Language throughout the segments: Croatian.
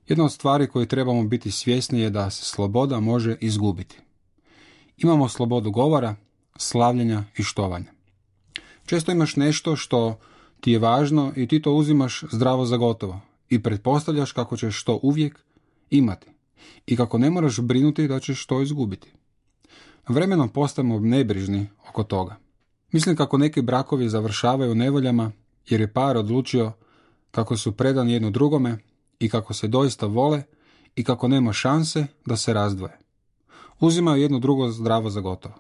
Jedna od stvari koje trebamo biti svjesni je da se sloboda može izgubiti. Imamo slobodu govora, slavljenja i štovanja. Često imaš nešto što ti je važno i ti to uzimaš zdravo za gotovo i pretpostavljaš kako ćeš to uvijek imati i kako ne moraš brinuti da ćeš to izgubiti. Vremenom postajemo nebrižni oko toga. Mislim kako neki brakovi završavaju u nevoljama jer je par odlučio kako su predani jedno drugome i kako se doista vole i kako nema šanse da se razdvoje. Uzimaju jedno drugo zdravo za gotovo.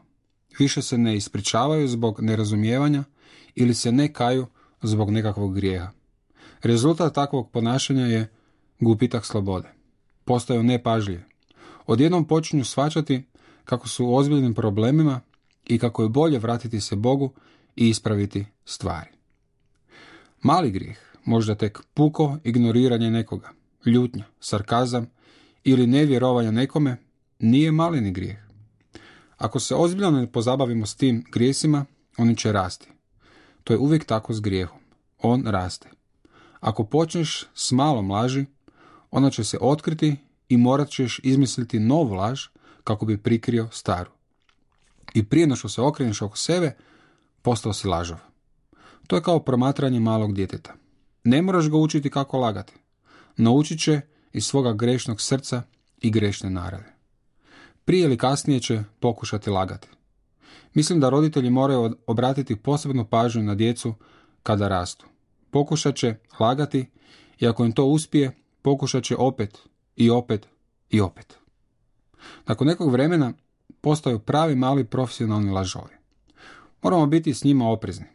Više se ne ispričavaju zbog nerazumijevanja ili se ne kaju zbog nekakvog grijeha. Rezultat takvog ponašanja je gubitak slobode. Postaju nepažljivi. Odjednom počinju shvaćati kako su u ozbiljnim problemima i kako je bolje vratiti se Bogu i ispraviti stvari. Mali grijeh, možda tek puko ignoriranje nekoga, ljutnja, sarkazam ili nevjerovanje nekome, nije maleni grijeh. Ako se ozbiljno ne pozabavimo s tim grijesima, oni će rasti. To je uvijek tako s grijehom. On raste. Ako počneš s malom laži, ona će se otkriti i morat ćeš izmisliti novu laž kako bi prikrio staru. I prije nego što se okreneš oko sebe, postao si lažov. To je kao promatranje malog djeteta. Ne moraš ga učiti kako lagati. Naučit će iz svoga grešnog srca i grešne narave. Prije ili kasnije će pokušati lagati. Mislim da roditelji moraju obratiti posebnu pažnju na djecu kada rastu. Pokušat će lagati i ako im to uspije, pokušat će opet i opet i opet. Nakon nekog vremena postaju pravi mali profesionalni lažovi. Moramo biti s njima oprezni.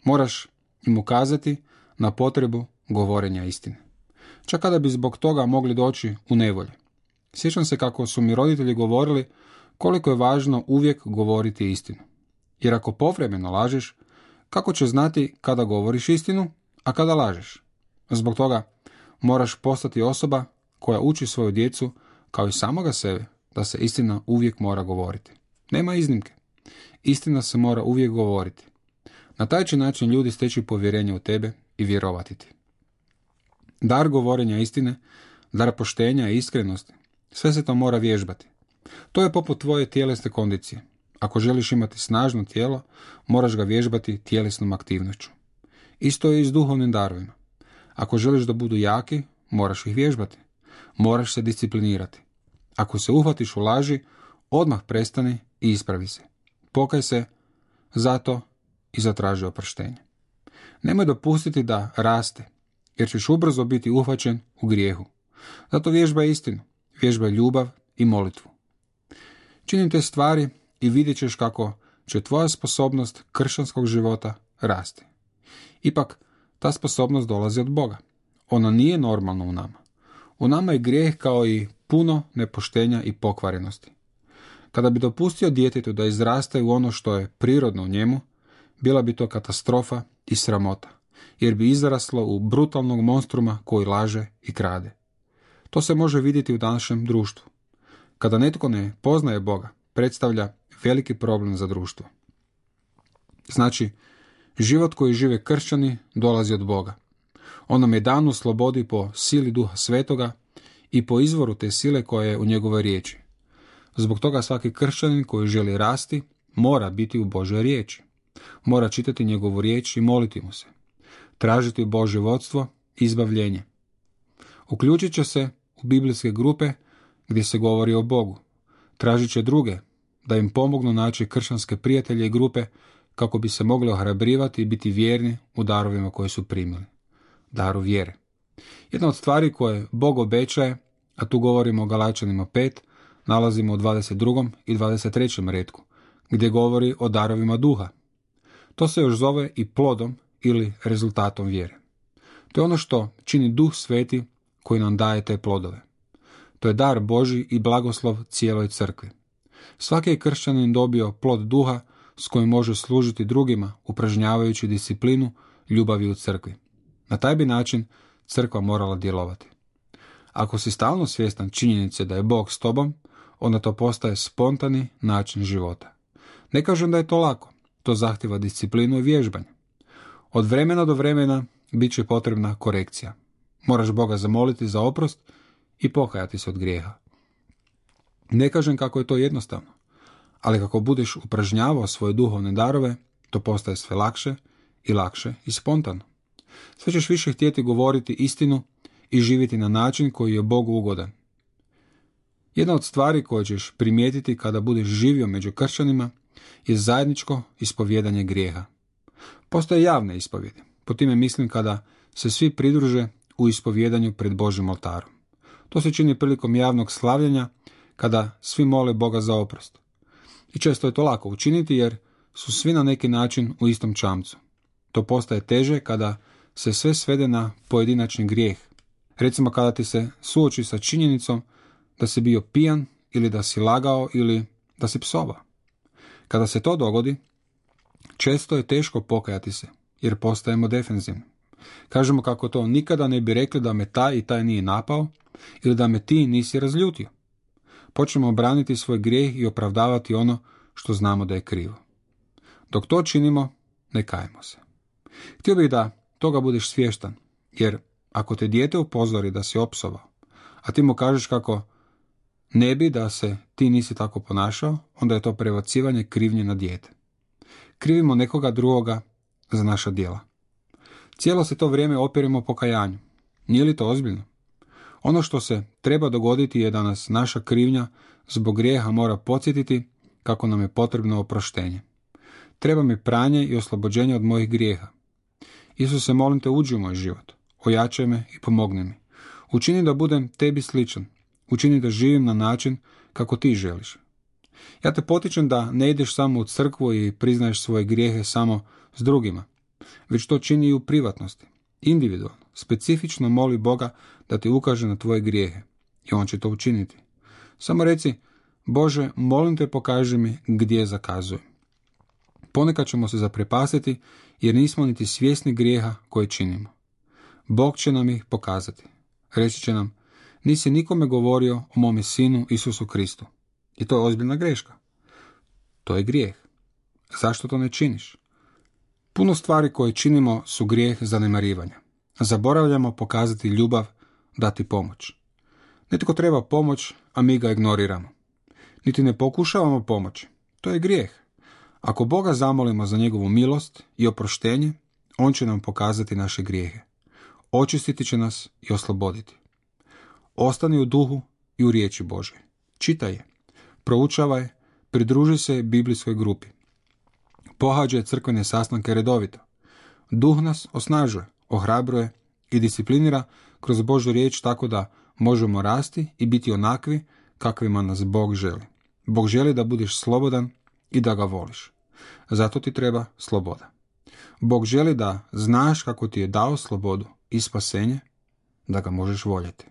Moraš im ukazati na potrebu govorenja istine. Čak kada bi zbog toga mogli doći u nevolje. Sjećam se kako su mi roditelji govorili koliko je važno uvijek govoriti istinu. Jer ako povremeno lažeš, kako ćeš znati kada govoriš istinu, a kada lažeš? Zbog toga moraš postati osoba koja uči svoju djecu, kao i samoga sebe, da se istina uvijek mora govoriti. Nema iznimke. Istina se mora uvijek govoriti. Na taj će način ljudi steći povjerenje u tebe i vjerovati ti. Dar govorenja istine, dar poštenja i iskrenosti, sve se to mora vježbati. To je poput tvoje tjelesne kondicije. Ako želiš imati snažno tijelo, moraš ga vježbati tjelesnom aktivnošću. Isto je i s duhovnim darovima. Ako želiš da budu jaki, moraš ih vježbati. Moraš se disciplinirati. Ako se uhvatiš u laži, odmah prestani i ispravi se. Pokaj se zato i zatraži oproštenje. Nemoj dopustiti da raste, jer ćeš ubrzo biti uhvaćen u grijehu. Zato vježbaj istinu, vježbaj ljubav i molitvu. Čini te stvari i vidjet ćeš kako će tvoja sposobnost kršćanskog života rasti. Ipak, ta sposobnost dolazi od Boga. Ona nije normalna u nama. U nama je grijeh kao i puno nepoštenja i pokvarenosti. Kada bi dopustio djetetu da izraste u ono što je prirodno u njemu, bila bi to katastrofa i sramota, jer bi izraslo u brutalnog monstruma koji laže i krade. To se može vidjeti u današnjem društvu. Kada netko ne poznaje Boga, predstavlja veliki problem za društvo. Znači, život koji žive kršćani dolazi od Boga. On nam je dan u slobodi po sili Duha Svetoga i po izvoru te sile koja je u njegovoj riječi. Zbog toga svaki kršćanin koji želi rasti mora biti u Božoj riječi. Mora čitati njegovu riječ i moliti mu se. Tražiti Božje vodstvo i izbavljenje. Uključit će se u biblijske grupe gdje se govori o Bogu. Tražit će druge da im pomognu naći kršćanske prijatelje i grupe kako bi se mogli ohrabrivati i biti vjerni u darovima koje su primili. Daru vjere. Jedna od stvari koje Bog obećaje, a tu govorimo o Galačanima 5, nalazimo u 22. i 23. retku, gdje govori o darovima duha. To se još zove i plodom ili rezultatom vjere. To je ono što čini Duh Sveti koji nam daje te plodove. To je dar Božji i blagoslov cijeloj crkvi. Svaki je kršćanin dobio plod duha s kojim može služiti drugima, upražnjavajući disciplinu ljubavi u crkvi. Na taj bi način crkva morala djelovati. Ako si stalno svjestan činjenice da je Bog s tobom, onda to postaje spontani način života. Ne kažem da je to lako, to zahtjeva disciplinu i vježbanje. Od vremena do vremena bit će potrebna korekcija. Moraš Boga zamoliti za oprost i pokajati se od grijeha. Ne kažem kako je to jednostavno, ali kako budeš upražnjavao svoje duhovne darove, to postaje sve lakše i spontano. Sve ćeš više htjeti govoriti istinu i živjeti na način koji je Bogu ugodan. Jedna od stvari koje ćeš primijetiti kada budeš živio među kršćanima je zajedničko ispovjedanje grijeha. Postoje javne ispovjedi, po time mislim kada se svi pridruže u ispovjedanju pred Božjim oltarom. To se čini prilikom javnog slavljenja kada svi mole Boga za oprost. I često je to lako učiniti jer su svi na neki način u istom čamcu. To postaje teže kada se sve svede na pojedinačni grijeh. Recimo kada ti se suoči sa činjenicom da si bio pijan ili da si lagao ili da si psovao. Kada se to dogodi, često je teško pokajati se jer postajemo defenzivni. Kažemo kako to nikada ne bi rekli da me taj i taj nije napao ili da me ti nisi razljutio. Počnemo braniti svoj grijeh i opravdavati ono što znamo da je krivo. Dok to činimo, ne kajemo se. Htio bih da toga budeš svjestan, jer ako te dijete upozori da si opsovao, a ti mu kažeš kako ne bi da se ti nisi tako ponašao, onda je to prebacivanje krivnje na dijete. Krivimo nekoga drugoga za naša djela. Cijelo se to vrijeme opiremo pokajanju. Nije li to ozbiljno? Ono što se treba dogoditi je da nas naša krivnja zbog grijeha mora podsjetiti kako nam je potrebno oproštenje. Treba mi pranje i oslobođenje od mojih grijeha. Isuse, molim te, uđi u moj život. Ojačaj me i pomogni mi. Učini da budem tebi sličan. Učini da živim na način kako ti želiš. Ja te potičem da ne ideš samo u crkvu i priznaješ svoje grijehe samo s drugima, već to čini i u privatnosti. Individualno, specifično moli Boga da ti ukaže na tvoje grijehe i on će to učiniti. Samo reci, Bože, molim te, pokaži mi gdje zakazujem. Ponekad ćemo se zaprepastiti jer nismo niti svjesni grijeha koje činimo. Bog će nam ih pokazati. Reći će nam, nisi nikome govorio o mome sinu Isusu Kristu. I to je ozbiljna greška. To je grijeh. Zašto to ne činiš? Puno stvari koje činimo su grijeh zanemarivanja. Zaboravljamo pokazati ljubav, dati pomoć. Netko treba pomoć, a mi ga ignoriramo. Niti ne pokušavamo pomoći. To je grijeh. Ako Boga zamolimo za njegovu milost i oproštenje, on će nam pokazati naše grijehe. Očistiti će nas i osloboditi. Ostani u duhu i u riječi Božoj. Čitaj je, proučavaj, pridruži se biblijskoj grupi. Pohađaj crkvene sastanke redovito. Duh nas osnažuje, ohrabruje i disciplinira kroz Božju riječ tako da možemo rasti i biti onakvi kakvima nas Bog želi. Bog želi da budeš slobodan i da ga voliš. Zato ti treba sloboda. Bog želi da znaš kako ti je dao slobodu i spasenje, da ga možeš voljeti.